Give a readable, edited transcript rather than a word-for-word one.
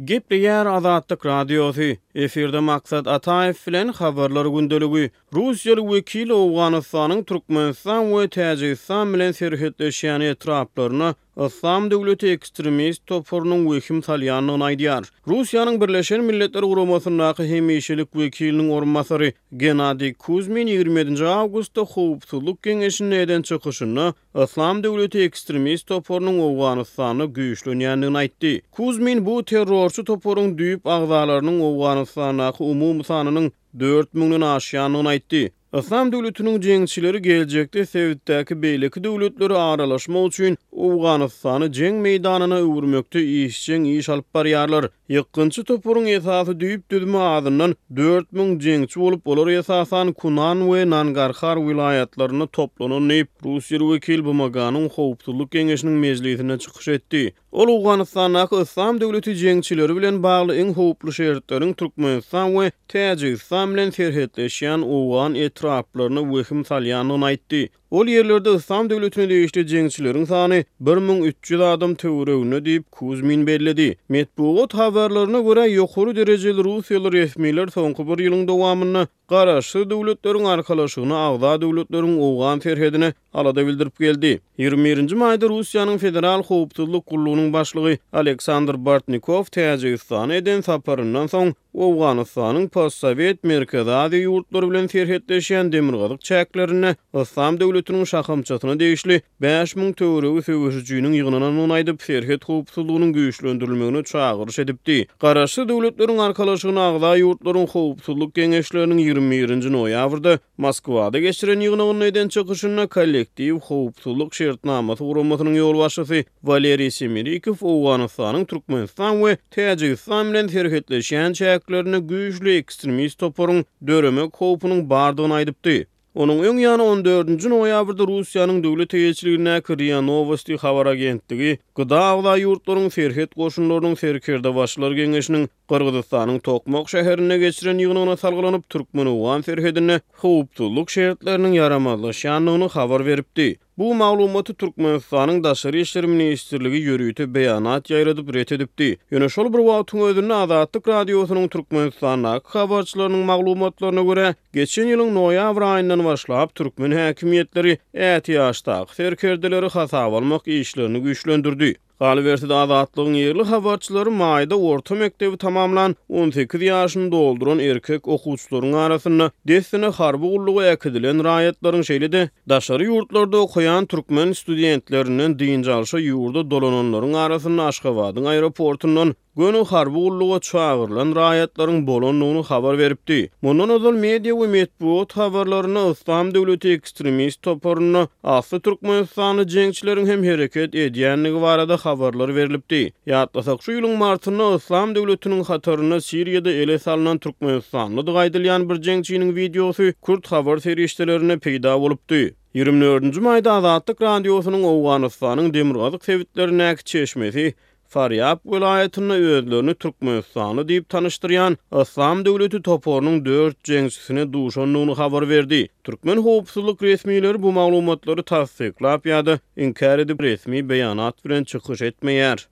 Gepleýär Azatlyk Radiosy, Efirde Maksat Ataýew bilen Habarlar gündeligi. Russiýaly wekil Owganystanyň Türkmenistan we Täjigistan bilen serhetleşýän etraplaryna Yslam döwleti ekstremist toparynyň wehim salýandygyny aýdýar. Russiýanyň Birleşen Milletler Guramasyndaky hemişelik wekiliniň orunbasary Gennadiý Kuzmin 27-nji awgustda Howpsuzlyk Geňeşinde eden çykyşynda Yslam döwleti ekstremist toparynyň Owganystanda güýçlenýändigini aýtdy. Kuzmin bu terrorçy toparyň düýp agzalarynyň Owganystandaky umumy sanynyň dört müňden aşýandygyny aýtdy. Yslam döwletiniň jeňçileri geljekde sebitdäki beýleki döwletlere aralaşmak üçin Owganystany jeň meýdanyna öwürmekde işjeň iş alyp barýarlar. Ýykgynçy toparyň esasy düýp düzümi azyndan 4000 jeňçi bolup, olar esasan Kunan we Nangarhar welaýatlarynda toplanan diýip, russiýaly wekil BMG-niň Howpsuzlyk Geňeşiniň mejlisinde çykyş etdi. Ol Owganystandaky Yslam döwleti jeňçileri bilen bagly iň howply şertleriň Türkmenistan we Täjigistan bilen serhetleşýän owgan etraplaryna wehim salýandygyny aýtdy. Ol ýerlerde Yslam döwletine degişli jeňçileriň sany 1300 adam töwereginde diýip, Kuzmin belledi. Metbugat habarlaryna görä, ýokary derejeli russiýaly resmiler soňky bir ýylyň dowamynda Garaşsyz Döwletleriň Arkalaşygyna agza döwletleriň owgan serhedine alada bildirip geldi. 21-nji maýda Russiýanyň Federal howpsuzlyk gullugynyň başlygy Aleksandr Bortnikow Täjigistana eden saparyndan soň Owganystanyň postsowet Merkezi Aziýa ýurtlary bilen serhetleşýän demirgazyk çäklerinde Yslam döwletiniň şahamçasyna degişli 5000 töweregi söweşijiniň ýygnanandygyny aýdyp, serhet howpsuzlygynyň güýçlendirilmegine çagyryş edipdi. Garaşsyz Döwletleriň Arkalaşygyna agza ýurtlaryň Howpsuzlyk Geňeşleriniň 21-nji noýabrda Moskwada geçiren ýygnagynda eden çykyşynda Kollektiw howpsuzlyk şertnamasy guramasynyň ýolbaşçysy Waleriý Semerikow Owganystanyň Türkmenistan we Täjigistan bilen serhetleşýän çäklerinde güýçli ekstremist toparyň döremek howpunyň bardygyny aýdypdy. Onuň öň ýany on dördünji noýabrda Russiýanyň döwlet eýeçiligindäki RIA Nowosti habar agentligi GDA agza ýurtlaryň serhet goşunlarynyň serkerdebaşylar geňeşiniň Gyrgyzystanyň Tokmak şäherinde geçiren ýygnagyna salgylanyp, türkmen-owgan serhedinde howpsuzlyk şertleriniň ýaramazlaşýandygyny habar beripdi. Bu maglumaty Türkmenistanyň Daşary işler ministrligi ýörite beýanat ýaýradyp ret edipdi. Ýöne şol bir wagtyň özünde Azatlyk Radiosynyň Türkmenistandaky habarçylarynyň maglumatlaryna görä, geçen ýylyň noýabr aýyndan başlap türkmen häkimiýetleri ätiýaçdaky serkerdeleri hasaba almak işlerini güýçlendirdi. Galyberse-de, Azatlygyň ýerli habarçylary maýda orta mekdebi tamamlan, 18 ýaşyny dolduran erkek okuwçylaryň arasynda dessine harby gulluga äkidilen raýatlaryň, şeýle-de, daşary ýurtlarda okaýan türkmen studentlerinden dynç alşa ýurda dolananlaryň arasynda Aşgabadyň aeroportundan göni harby gulluga çagyrylan raýatlaryň bolandygyny habar beripdi. Mundan ozal media we metbugat habarlarynda Yslam döwleti ekstremist toparynda asly türkmenistanly jeňçileriň hem hereket edýändigi barada habarlar berlipdi. Ýatlasak, şu ýylyň martynda Yslam döwletiniň hatarynda Siriýada ele salnan türkmenistanlydygy aýdylýan bir jeňçiniň wideosy kürt habar serişdelerinde peýda bolupdy. 24-nji maýda Azatlyk Radiosynyň Owganystanyň demirgazyk sebitlerindäki çeşmesi Farýab welaýatynda özlerini türkmenistanly diýip tanyşdyrýan Yslam döwleti toparynyň dört jeňçisine duşandygyny habar berdi. Türkmen howpsuzlyk resmileri bu maglumatlary tassyklap ýa-da inkär edip resmi beýanat bilen çykyş etmeýär.